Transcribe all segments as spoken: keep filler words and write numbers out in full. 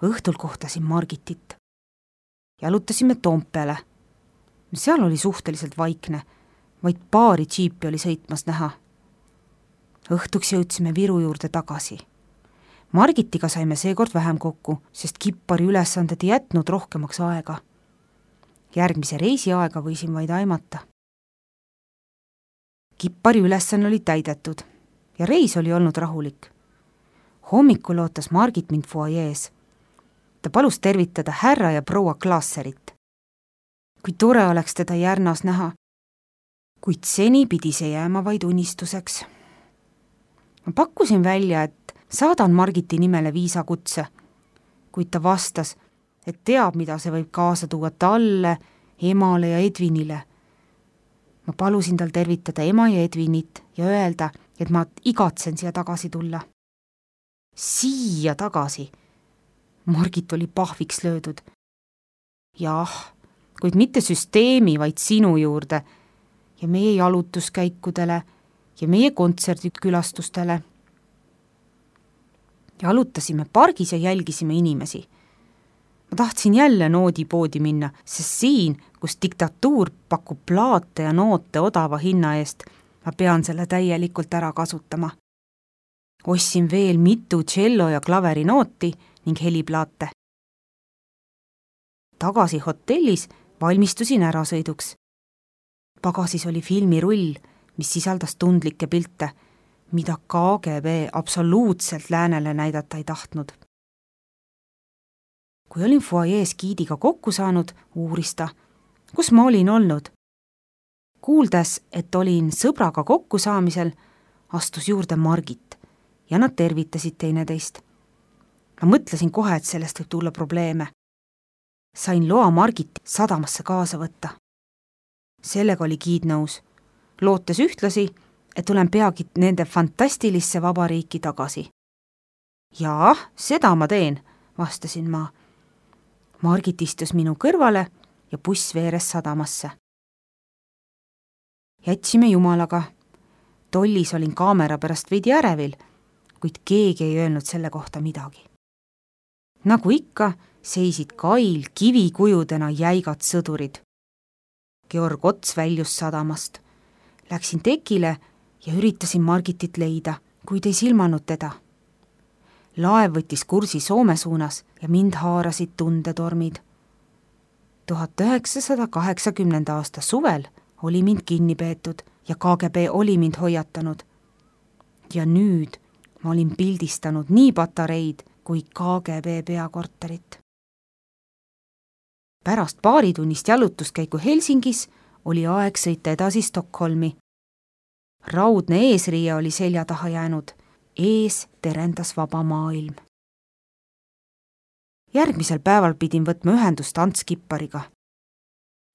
Õhtul kohtasin Margitit. Jalutasime Toompeale. Seal oli suhteliselt vaikne, vaid paari džiipi oli sõitmas näha. Õhtuks jõudsime Viru juurde tagasi. Margitiga saime seekord vähem kokku, sest kippari ülesanded ei jätnud rohkemaks aega. Järgmise reisi aega võisin vaid aimata. Kippari ülesanne oli täidetud ja reis oli olnud rahulik. Hommikul ootas Margit mind fuajees. Ta palus tervitada härra ja proua Klaasserit. Kui tore oleks teda Järnas näha, kuid seni pidi see jääma vaid unistuseks. Ma pakkusin välja, et saadan Margiti nimele viisakutse, kuid ta vastas, et teab, mida see võib kaasa tuua talle, emale ja Edvinile. Ma palusin tal tervitada ema ja Edvinit ja öelda, et ma igatsen siia tagasi tulla. Siia tagasi? Margit oli pahviks löödud. Jah, kuid mitte süsteemi, vaid sinu juurde ja meie jalutuskäikudele ja meie kontserdikülastustele. Jalutasime pargis ja jälgisime inimesi. Ma tahtsin jälle noodipoodi minna, sest siin, kus diktatuur pakub plaate ja noote odava hinna eest, ma pean selle täielikult ära kasutama. Ostsin veel mitu cello ja klaveri nooti ning heliplaate. Tagasi hotellis valmistusin ärasõiduks. Pagasis oli filmirull, mis sisaldas tundlikke pilte, mida K G B absoluutselt läänele näidata ei tahtnud. Kui olin fuajees giidiga kokku saanud, uuris ta, kus ma olin olnud. Kuuldes, et olin sõbraga kokku saamisel, astus juurde Margit ja nad tervitasid teineteist. Ma mõtlesin kohe, et sellest võib tulla probleeme. Sain loa Margit sadamasse kaasa võtta. Sellega oli giid nõus, lootes ühtlasi, et olen peagi nende fantastilisse vabariiki tagasi. Jaa, seda ma teen, vastasin ma. Margit istus minu kõrvale ja buss veeres sadamasse. Jätsime jumalaga. Tollis olin kaamera pärast veidi ärevil, kuid keegi ei öelnud selle kohta midagi. Nagu ikka, seisid kail kivikujudena jäigad sõdurid. Georg Ots väljus sadamast. Läksin tekile ja üritasin Margitit leida, kuid ei silmanud teda. Laev võttis kursi Soome suunas ja mind haarasid tundetormid. tuhat üheksasada kaheksakümnenda aasta suvel oli mind kinni peetud ja K G B oli mind hoiatanud. Ja nüüd ma olin pildistanud nii patareid kui K G B peakorterit. Pärast paaritunnist jalutuskäiku Helsingis oli aeg sõita edasi Stockholmi. Raudne eesriie oli selja taha jäänud. Ees terendas vaba maailm. Järgmisel päeval pidin võtma ühendust Ants Kippariga.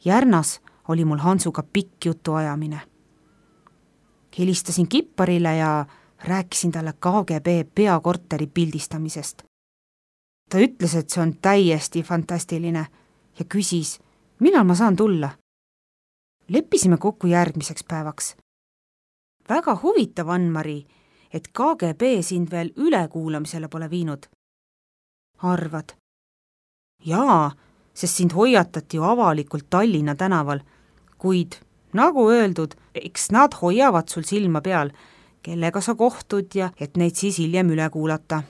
Järnas oli mul Hansuga pikk jutu ajamine. Helistasin Kipparile ja rääkisin talle K G B peakorteri pildistamisest. Ta ütles, et see on täiesti fantastiline ja küsis, millal ma saan tulla. Leppisime kokku järgmiseks päevaks. Väga huvitav, Ann-Mari, et K G B sind veel ülekuulamisele pole viinud. Arvad? Jaa, sest sind hoiatati ju avalikult Tallinna tänaval, kuid, nagu öeldud, eks nad hoiavad sul silma peal, kellega sa kohtud ja et neid siis hiljem üle kuulata.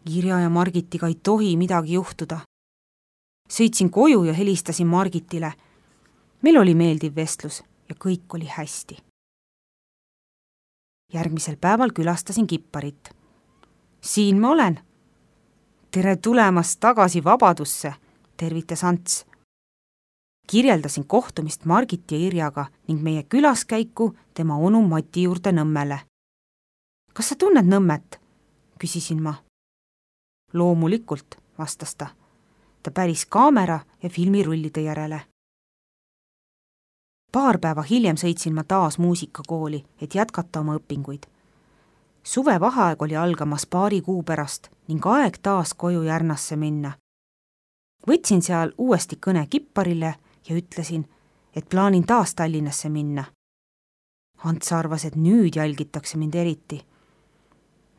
Irja ja Margitiga ei tohi midagi juhtuda. Sõitsin koju ja helistasin Margitile. Meil oli meeldiv vestlus ja kõik oli hästi. Järgmisel päeval külastasin Kipparit. Siin ma olen. Tere tulemast tagasi vabadusse, tervitas Ants. Kirjeldasin kohtumist Margit ja Irjaga ning meie külaskäiku tema onu Mati juurde Nõmmele. Kas sa tunned Nõmmet? Küsisin ma. Loomulikult, vastas ta. Ta päris kaamera ja filmirullide järele. Paar päeva hiljem sõitsin ma taas muusikakooli, et jätkata oma õpinguid. Suve vaheaeg oli algamas paari kuu pärast ning aeg taas koju Järnasse minna. Võtsin seal uuesti kõne Kipparile ja ütlesin, et plaanin taas Tallinnasse minna. Ants arvas, et nüüd jälgitakse mind eriti.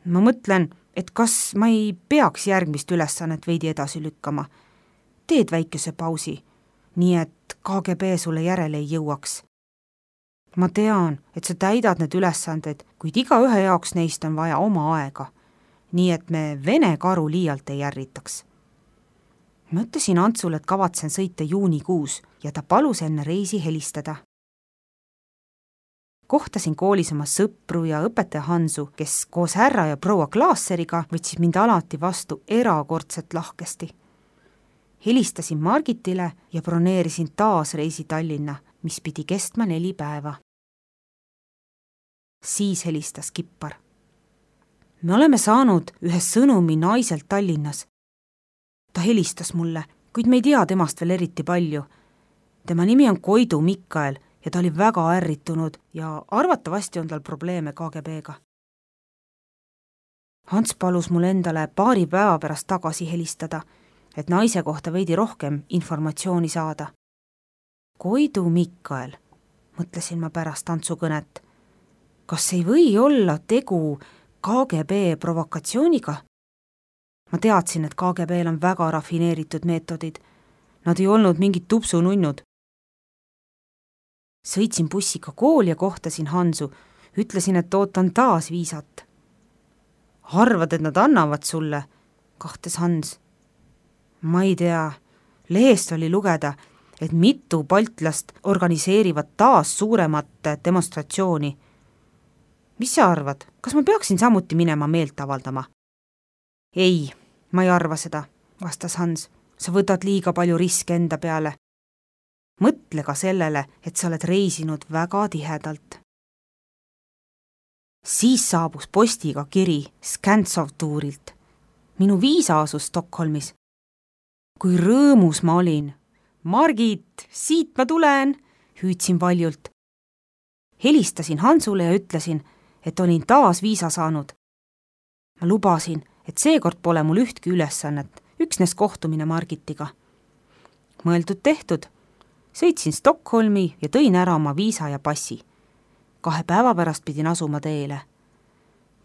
Ma mõtlen, et kas ma ei peaks järgmist ülesannet veidi edasi lükkama. Teed väikese pausi, nii et K G B sulle järele ei jõuaks. Ma tean, et sa täidad need ülesanded, kuid igaühe jaoks neist on vaja oma aega, nii et me Vene karu liialt ei ärritaks. Ma ütlesin Antsule, et kavatsen sõita juunikuus ja ta palus enne reisi helistada. Kohtasin koolis oma sõpru ja õpetaja Hansu, kes koos härra ja proua Klaasseriga võtsid mind alati vastu erakordselt lahkesti. Helistasin Margitile ja broneerisin taas reisi Tallinna, mis pidi kestma neli päeva. Siis helistas Kippar. Me oleme saanud ühe sõnumi naiselt Tallinnas. Ta helistas mulle, kuid me ei tea temast veel eriti palju. Tema nimi on Koidu Mikael ja ta oli väga ärritunud ja arvatavasti on tal probleeme K G B-ga. Hans palus mul endale paari päeva pärast tagasi helistada, et naise kohta veidi rohkem informatsiooni saada. Koidu Mikael, mõtlesin ma pärast Antsu kõnet. Kas ei või olla tegu K G B provokatsiooniga? Ma teadsin, et K G B-l on väga rafineeritud meetodid. Nad ei olnud mingid tupsununnud. Sõitsin bussiga kooli ja kohtasin Hansu. Ütlesin, et ootan taas viisat. Arvad, et nad annavad sulle? Kahtes Hans. Ma ei tea. Lehest oli lugeda, et mitu baltlast organiseerivad taas suuremat demonstratsiooni. Mis sa arvad? Kas ma peaksin samuti minema meelt avaldama? Ei, ma ei arva seda, vastas Hans. Sa võtad liiga palju riske enda peale. Mõtle ka sellele, et sa oled reisinud väga tihedalt. Siis saabus postiga kiri Skantsov-tuurilt. Minu viisa asus Stockholmis. Kui rõõmus ma olin. Margit, siit ma tulen, hüüdsin valjult. Helistasin Hansule ja ütlesin, et olin taas viisa saanud. Ma lubasin, et seekord pole mul ühtki ülesannet, üksnes kohtumine Margitiga. Mõeldud tehtud. Sõitsin Stockholmi ja tõin ära oma viisa ja passi. Kahe päeva pärast pidin asuma teele.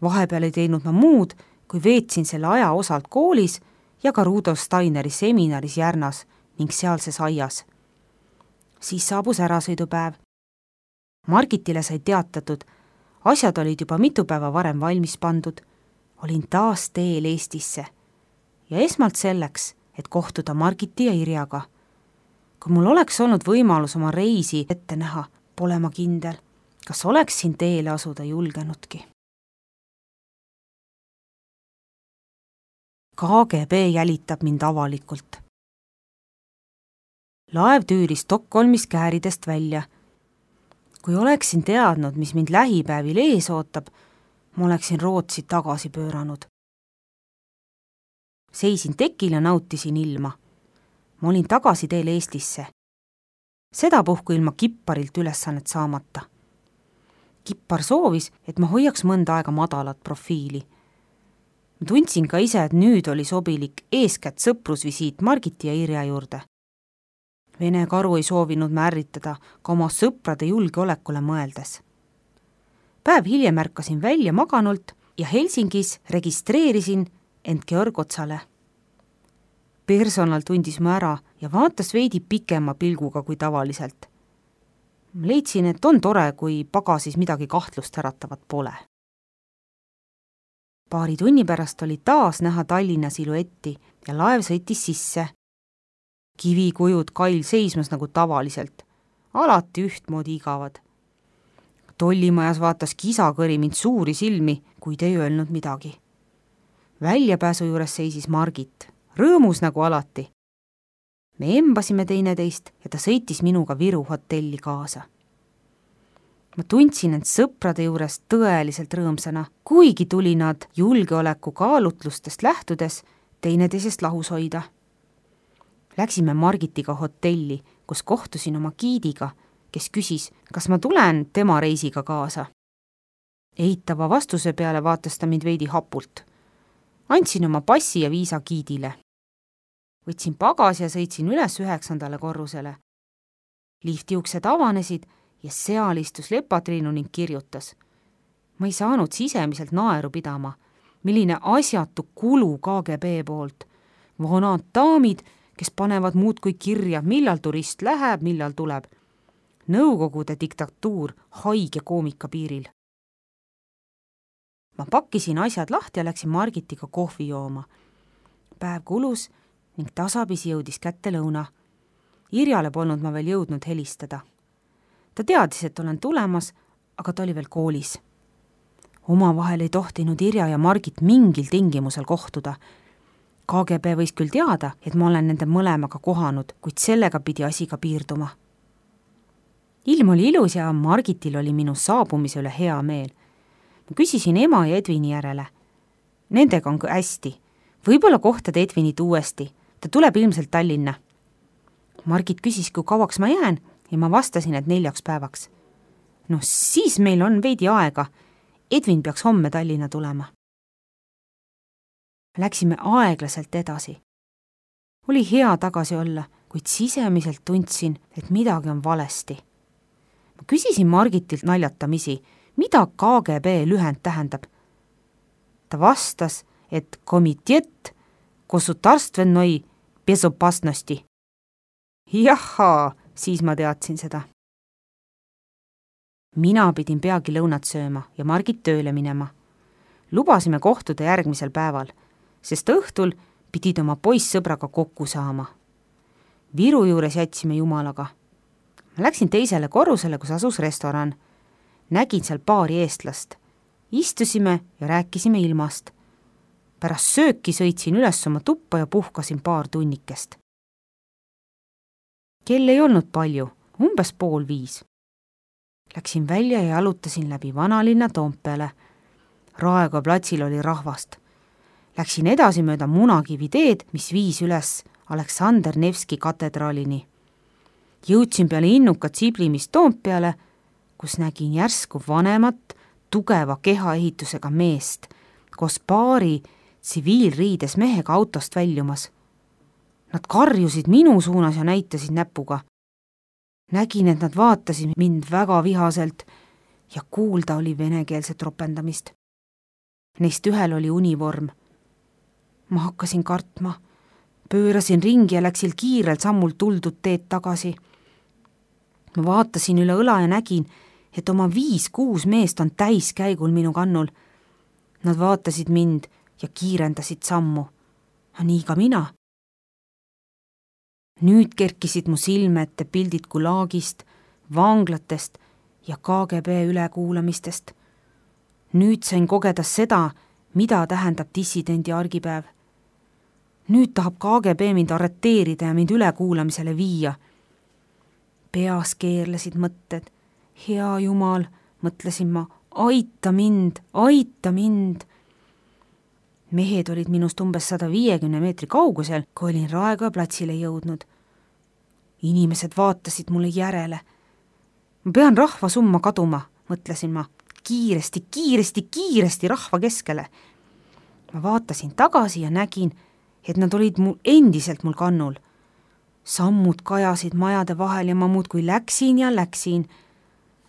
Vahepeal ei teinud ma muud, kui veetsin selle aja osalt koolis ja ka Rudolf Steineri seminaris Järnas ning sealses aias. Siis saabus ärasõidupäev. Margitile sai teatatud, asjad olid juba mitu päeva varem valmis pandud. Olin taas teel Eestisse ja esmalt selleks, et kohtuda Margiti ja Irjaga. Kui mul oleks olnud võimalus oma reisi ette näha, pole ma kindel, kas oleksin teele asuda julgenudki. K G B jälitab mind avalikult. Laev tüüris Stockholmis kääridest välja. Kui oleksin teadnud, mis mind lähipäevil ees ootab, ma oleksin Rootsi tagasi pööranud. Seisin tekil ja nautisin ilma. Ma olin tagasi teel Eestisse. Seda puhku ilma Kipparilt ülesannet saamata. Kippar soovis, et ma hoiaks mõnda aega madalat profiili. Ma tundsin ka ise, et nüüd oli sobilik eeskätt sõprusvisiit Margiti ja Irja juurde. Vene karu ei soovinud mä ärritada ka oma sõprade julgeolekule mõeldes. Päev hiljem ärkasin välja maganult ja Helsingis registreerisin end Georg Otsale. Personal tundis mu ära ja vaatas veidi pikema pilguga kui tavaliselt. Leidsin, et on tore, kui pagasis midagi kahtlust äratavat pole. Paari tunni pärast oli taas näha Tallinna siluetti ja laev sõitis sisse. Kivikujud kail seismas nagu tavaliselt. Alati ühtmoodi igavad. Tollimajas vaatas kisakõri mind suuri silmi, kuid ei öelnud midagi. Väljapääsu juures seisis Margit, rõõmus nagu alati. Me embasime teineteist ja ta sõitis minuga Viru hotelli kaasa. Ma tundsin end sõprade juures tõeliselt rõõmsana, kuigi tuli nad julgeoleku kaalutlustest lähtudes teineteisest lahus hoida. Läksime Margitiga hotelli, kus kohtusin oma giidiga, kes küsis, kas ma tulen tema reisiga kaasa. Eitava vastuse peale vaatas ta mind veidi hapult. Andsin oma passi ja viisa giidile. Võtsin pagas ja sõitsin üles üheksandale korrusele. Lifti uksed avanesid ja seal istus Lepatriinu ning kirjutas. Ma ei saanud sisemiselt naeru pidama. milline asjatu kulu K G B poolt. Vanad daamid, kes panevad muudkui kirja, millal turist läheb, millal tuleb. Nõukogude diktatuur haige koomika piiril. Ma pakkisin asjad lahti ja läksin Margitiga kohvi jooma. Päev kulus ning tasapisi jõudis kätte lõuna. Irjale polnud ma veel jõudnud helistada. Ta teadis, et olen tulemas, aga ta oli veel koolis. Omavahel ei tohtinud Irja ja Margit mingil tingimusel kohtuda. K G B võis küll teada, et ma olen nende mõlemaga kohanud, kuid sellega pidi asi ka piirduma. Ilm oli ilus ja Margitil oli minu saabumise üle hea meel. Ma küsisin ema ja Edvini järele. Nendega on hästi. Võib-olla kohtad Edvinit uuesti. Ta tuleb ilmselt Tallinna. Margit küsis, kui kauaks ma jään ja ma vastasin, et neljaks päevaks. No siis meil on veidi aega. Edvin peaks homme Tallinna tulema. Läksime aeglaselt edasi. Oli hea tagasi olla, kuid sisemiselt tundsin, et midagi on valesti. Ma küsisin Margitilt naljatamisi, mida K G B lühend tähendab. Ta vastas, et Komitet Gosudarstvenoi Bezopasnosti. Jahaa, siis ma teadsin seda. Mina pidin peagi lõunat sööma ja Margit tööle minema. Lubasime kohtuda järgmisel päeval, sest õhtul pidid oma poissõbraga kokku saama. Viru juures jätsime jumalaga. Ma läksin teisele korrusele, kus asus restoran. Nägin seal paari eestlast. Istusime ja rääkisime ilmast. Pärast sööki sõitsin üles oma tuppa ja puhkasin paar tunnikest. Kell ei olnud palju, umbes pool viis. Läksin välja ja jalutasin läbi vanalinna Toompeale. Raekoja platsil oli rahvast. Läksin edasi mööda Munakivi teed, mis viis üles Aleksander Nevski katedraalini. Jõudsin peale innukat siblimist Toompeale, kus nägin järsku vanemat, tugeva kehaehitusega meest, koos paari tsiviilriides mehega autost väljumas. Nad karjusid minu suunas ja näitasid näpuga. Nägin, et nad vaatasid mind väga vihaselt ja kuulda oli venekeelset ropendamist. Neist ühel oli univorm. Ma hakkasin kartma. Pöörasin ringi ja läksin kiirelt sammult tuldud teed tagasi. Ma vaatasin üle õla ja nägin, et oma viis-kuus meest on täiskäigul minu kannul. Nad vaatasid mind ja kiirendasid sammu. Nii ka mina. Nüüd kerkisid mu silme ette pildid Gulagist, vanglatest ja K G B ülekuulamistest. Nüüd sain kogeda seda, mida tähendab dissidendi argipäev. Nüüd tahab K G B mind arreteerida ja mind ülekuulamisele viia. Peas keerlesid mõtted. Hea Jumal, mõtlesin ma, aita mind, aita mind. Mehed olid minust umbes sada viiekümne meetri kaugusel, kui olin Raekoja platsile jõudnud. Inimesed vaatasid mulle järele. Ma pean rahva summa kaduma, mõtlesin ma. Kiiresti, kiiresti, kiiresti rahva keskele. Ma vaatasin tagasi ja nägin, et nad olid mul endiselt mul kannul. Sammud kajasid majade vahel ja ma muudkui läksin ja läksin.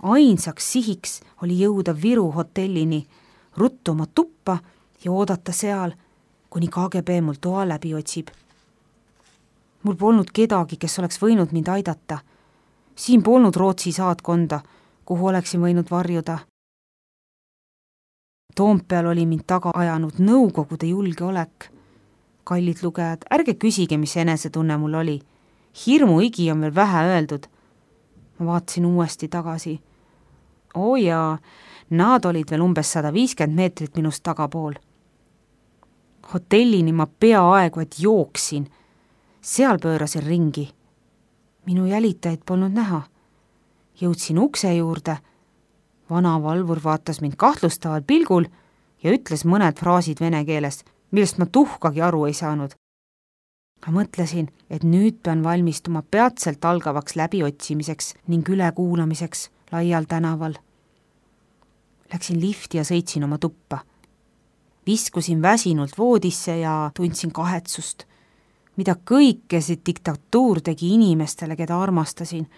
Ainsaks sihiks oli jõuda Viru hotellini, ruttu oma tuppa ja oodata seal, kuni K G B mul toa läbi otsib. Mul polnud kedagi, kes oleks võinud mind aidata. Siin polnud Rootsi saatkonda, kuhu oleksin võinud varjuda. Toompeal oli mind taga ajanud Nõukogude julgeolek. Kallid lugejad, ärge küsige, mis enesetunne mul oli. Hirmu igi on veel vähe öeldud. Ma vaatasin uuesti tagasi. Oo jaa, nad olid veel umbes sada viiskümmend meetrit minust tagapool. Hotellini ma peaaegu et jooksin. Seal pöörasin ringi. Minu jälitajaid polnud näha. Jõudsin ukse juurde. Vana valvur vaatas mind kahtlustaval pilgul ja ütles mõned fraasid vene keeles, millest ma tuhkagi aru ei saanud. Ma mõtlesin, et nüüd pean valmistuma peatselt algavaks läbiotsimiseks ning ülekuulamiseks laial tänaval. Läksin lifti ja sõitsin oma tuppa. Viskusin väsinult voodisse ja tundsin kahetsust, mida kõike see diktatuur tegi inimestele, keda armastasin.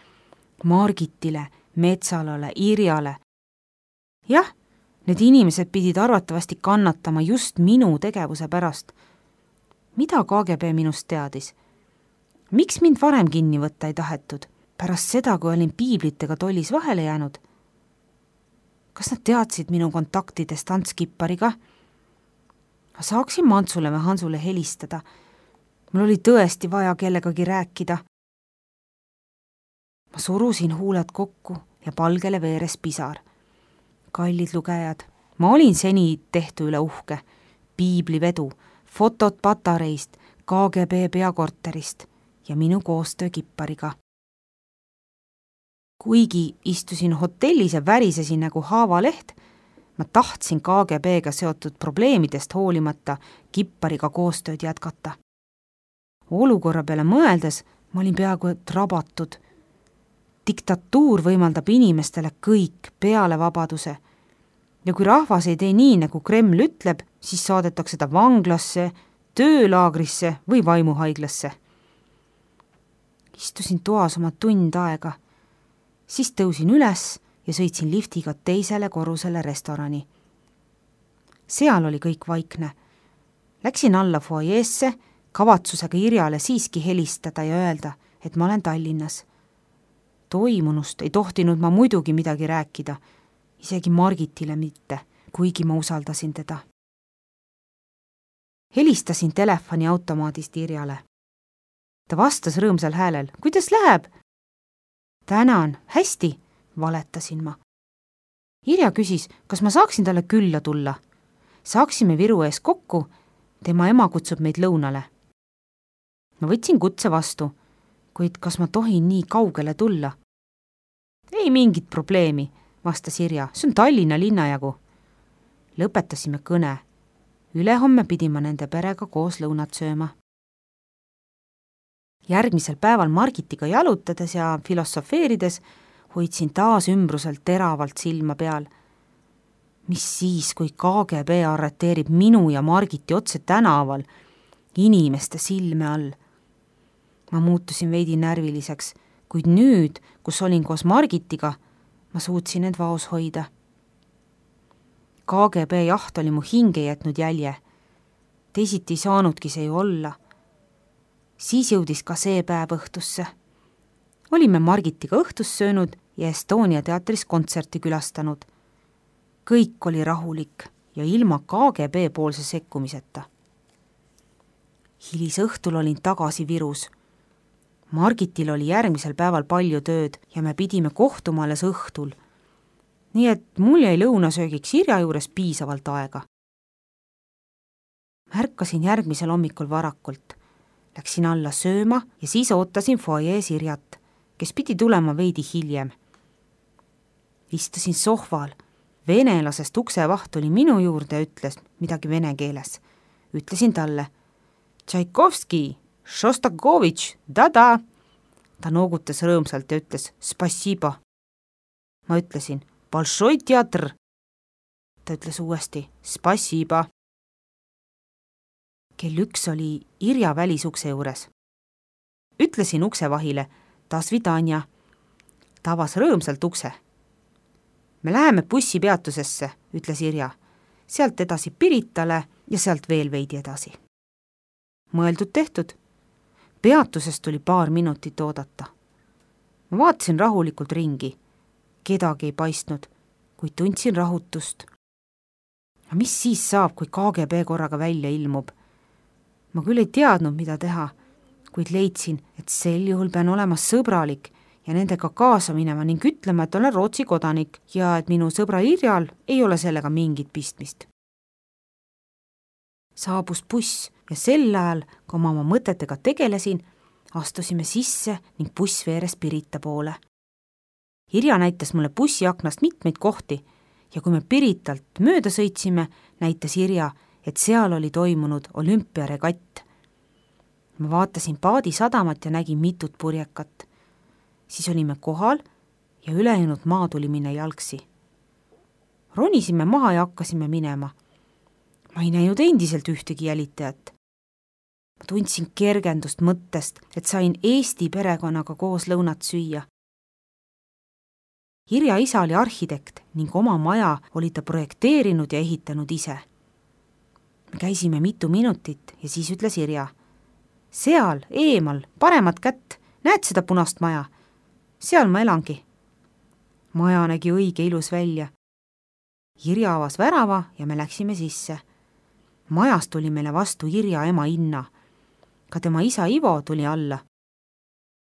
Margitile, Metsalale, Irjale. Jah, Need inimesed pidid arvatavasti kannatama just minu tegevuse pärast. Mida K G B minust teadis? Miks mind varem kinni võtta ei tahetud, pärast seda, kui olin piiblitega tollis vahele jäänud? Kas nad teadsid minu kontaktidest Ants Kippariga? Ma saaksin Mantsule või Hansule helistada. Mul oli tõesti vaja kellegagi rääkida. Ma surusin huuled kokku ja palgele veeres pisar. Kallid lugejad, ma olin seni tehtu üle uhke. Piiblivedu, fotod patareist, K G B peakorterist ja minu koostöö Kippariga. Kuigi istusin hotellis ja värisesin nagu haavaleht, ma tahtsin K G B-ga seotud probleemidest hoolimata Kippariga koostööd jätkata. Olukorra peale mõeldes ma olin peaaegu et rabatud. Diktatuur võimaldab inimestele kõik peale vabaduse. Ja kui rahvas ei tee nii, nagu Kreml ütleb, siis saadetakse ta vanglasse, töölaagrisse või vaimuhaiglasse. Istusin toas oma tund aega. Siis tõusin üles ja sõitsin liftiga teisele korrusele restorani. Seal oli kõik vaikne. Läksin alla foajeesse, kavatsusega Irjale siiski helistada ja öelda, et ma olen Tallinnas. Toimunust ei tohtinud ma muidugi midagi rääkida, isegi Margitile mitte, kuigi ma usaldasin teda. Helistasin telefoni automaadist Irjale. Ta vastas rõõmsal häälel, kuidas läheb? Tänan, hästi, valetasin ma. Irja küsis, kas ma saaksin talle külla tulla. Saaksime Viru ees kokku, tema ema kutsub meid lõunale. Ma võtsin kutse vastu, kuid kas ma tohin nii kaugele tulla? Ei mingit probleemi, vastas Irja, see on Tallinna linnajagu. Lõpetasime kõne. Ülehomme pidin ma nende perega koos lõunat sööma. Järgmisel päeval Margitiga jalutades ja filosofeerides hoidsin taas ümbruselt teravalt silma peal. Mis siis, kui K G B arreteerib minu ja Margiti otse tänaval, inimeste silme all? Ma muutusin veidi närviliseks, kuid nüüd, kus olin koos Margitiga, ma suutsin end vaos hoida. K G B jaht oli mu hinge jätnud jälje. Teisiti saanudki see ju olla. Siis jõudis ka see päev õhtusse. Olime Margitiga õhtus söönud ja Estonia teatris kontserti külastanud. Kõik oli rahulik ja ilma K G B poolse sekkumiseta. Hilis õhtul olin tagasi Virus. Margitil oli järgmisel päeval palju tööd ja me pidime kohtuma alles õhtul. Nii et mul jäi lõunasöögiks Irja juures piisavalt aega. Märkasin järgmisel hommikul varakult. Läksin alla sööma ja siis ootasin foajees Irjat, kes pidi tulema veidi hiljem. Istusin sohval. Venelasest uksevaht oli minu juurde ja ütles midagi vene keeles. Ütlesin talle, Tšaikovski, Šostakovitš, da-da. Ta noogutas rõõmsalt ja ütles, spasiba. Ma ütlesin, Balšoi teatr. Ta ütles uuesti, spasiba. Kell üks oli Irja välisukse juures. Ütlesin uksevahile, tasvidanja. Ta avas rõõmsalt ukse. Me läheme bussipeatusesse, ütles Irja. Sealt edasi Piritale ja sealt veel veidi edasi. Mõeldud tehtud. Peatusest tuli paar minutit oodata. Ma vaatasin rahulikult ringi. Kedagi ei paistnud, kuid tundsin rahutust. Ja mis siis saab, kui K G B korraga välja ilmub? Ma küll ei teadnud, mida teha, kuid leidsin, et sel juhul pean olema sõbralik ja nendega kaasa minema ning ütlema, et olen Rootsi kodanik ja et minu sõbra Irjal ei ole sellega mingit pistmist. Saabus buss ja sel ajal, kui ma oma mõtetega tegelesin, astusime sisse ning buss veeres Pirita poole. Irja näitas mulle bussiaknast mitmeid kohti ja kui me Piritalt mööda sõitsime, näitas Irja, et seal oli toimunud olümpiaregatt. Ma vaatasin paadi sadamat ja nägin mitut purjekat. Siis olime kohal ja ülejäänud maa tuli minna jalgsi. Ronisime maha ja hakkasime minema. Ma ei näinud endiselt ühtegi jälitajat. Ma tundsin kergendust mõttest, et sain Eesti perekonnaga koos lõunat süüa. Irja isa oli arhitekt ning oma maja oli ta projekteerinud ja ehitanud ise. Me käisime mitu minutit ja siis ütles Irja: seal, eemal, paremat kätt, näed seda punast maja? Seal ma elangi. Maja nägi õige ilus välja. Irja avas värava ja me läksime sisse. Majas tuli meile vastu Irja ema Inna. Ka tema isa Ivo tuli alla.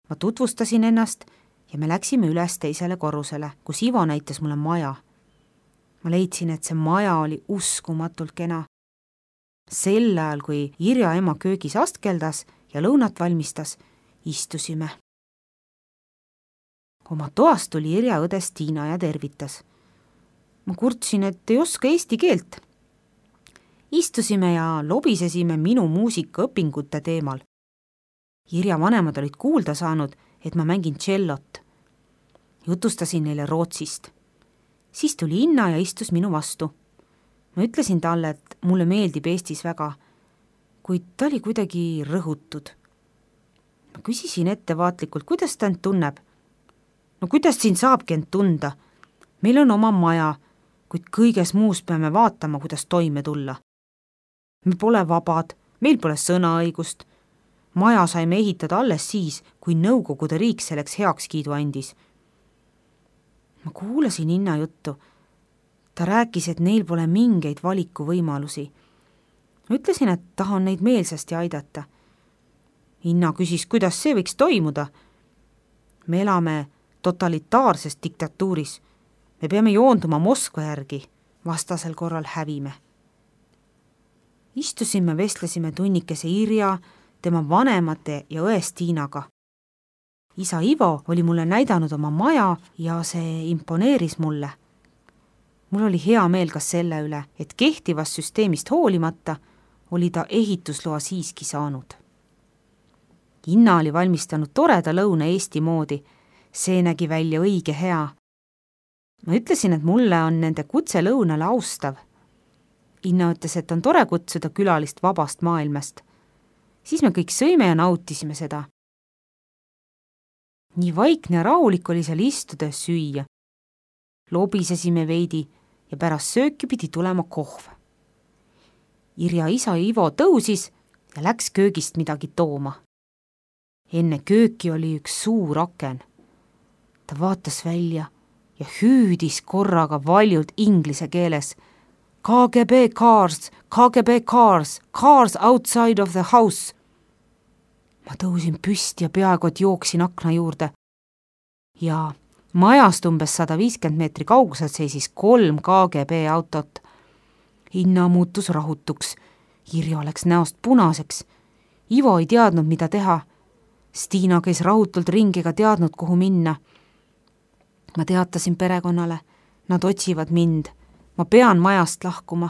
Ma tutvustasin ennast ja me läksime üles teisele korrusele, kus Ivo näitas mulle maja. Ma leidsin, et see maja oli uskumatult kena. Sel ajal, kui Irja ema köögis astkeldas ja lõunat valmistas, istusime. Oma toast tuli Irja õde Stiina ja tervitas. Ma kurtsin, et ei oska eesti keelt. Istusime ja lobisesime minu muusikaõpingute teemal. Irja vanemad olid kuulda saanud, et ma mängin tšellot. Jutustasin neile Rootsist. Siis tuli Inna ja istus minu vastu. Ma ütlesin talle, et mulle meeldib Eestis väga, kuid ta oli kuidagi rõhutud. Ma küsisin ettevaatlikult, kuidas ta end tunneb. No kuidas siin saabki end tunda? Meil on oma maja, kuid kõiges muus peame vaatama, kuidas toime tulla. Me pole vabad, meil pole sõnaõigust. Maja saime ehitada alles siis, kui Nõukogude riik selleks heakskiidu andis. Ma kuulasin Inna juttu. Ta rääkis, et neil pole mingeid valikuvõimalusi. Ma ütlesin, et tahan neid meelsasti aidata. Inna küsis, kuidas see võiks toimuda. Me elame totalitaarses diktatuuris. Me peame joonduma Moskva järgi, vastasel korral hävime. Istusime, vestlesime tunnikese Irja, tema vanemate ja õe Stiinaga. Isa Ivo oli mulle näidanud oma maja ja see imponeeris mulle. Mul oli hea meel ka selle üle, et kehtivast süsteemist hoolimata oli ta ehitusloa siiski saanud. Inna oli valmistanud toreda lõuna Eesti moodi. See nägi välja õige hea. Ma ütlesin, et mulle on nende kutse lõunale austav. Inna ütles, et on tore kutsuda külalist vabast maailmast. Siis me kõik sõime ja nautisime seda. Nii vaikne ja rahulik oli seal istuda ja süüa. Lobisesime veidi ja pärast sööki pidi tulema kohv. Irja isa Ivo tõusis ja läks köögist midagi tooma. Enne kööki oli üks suur aken. Ta vaatas välja ja hüüdis korraga valjult inglise keeles. K G B cars, K G B cars, cars outside of the house. Ma tõusin püsti ja peaaegu et jooksin akna juurde. Ja majast umbes sada viiskümmend meetri kauguselt seisis kolm K G B autot. Inna muutus rahutuks. Irja läks näost punaseks. Ivo ei teadnud, mida teha. Stiina käis rahutult ringi ega teadnud, kuhu minna. Ma teatasin perekonnale. Nad otsivad mind. Ma pean majast lahkuma.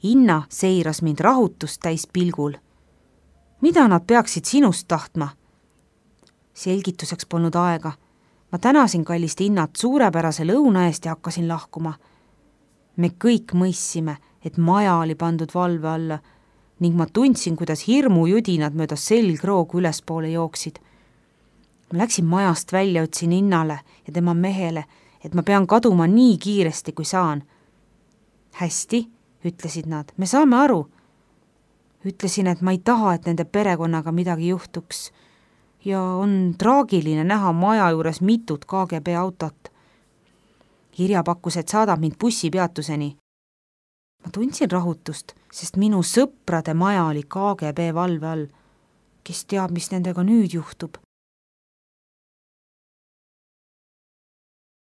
Inna seiras mind rahutust täis pilgul. Mida nad peaksid sinust tahtma? Selgituseks polnud aega. Ma tänasin kallist Innat suurepärase lõuna eest ja hakkasin lahkuma. Me kõik mõissime, et maja oli pandud valve alla ning ma tundsin, kuidas hirmujudinad mööda selgroogu ülespoole jooksid. Ma läksin majast välja, ütlesin Innale ja tema mehele, et ma pean kaduma nii kiiresti, kui saan. Hästi, ütlesid nad, me saame aru. Ütlesin, et ma ei taha, et nende perekonnaga midagi juhtuks ja on traagiline näha maja juures mitut K G B autot. Irja pakkus, et saadab mind bussipeatuseni. Ma tundsin rahutust, sest minu sõprade maja oli K G B valve all. Kes teab, mis nendega nüüd juhtub?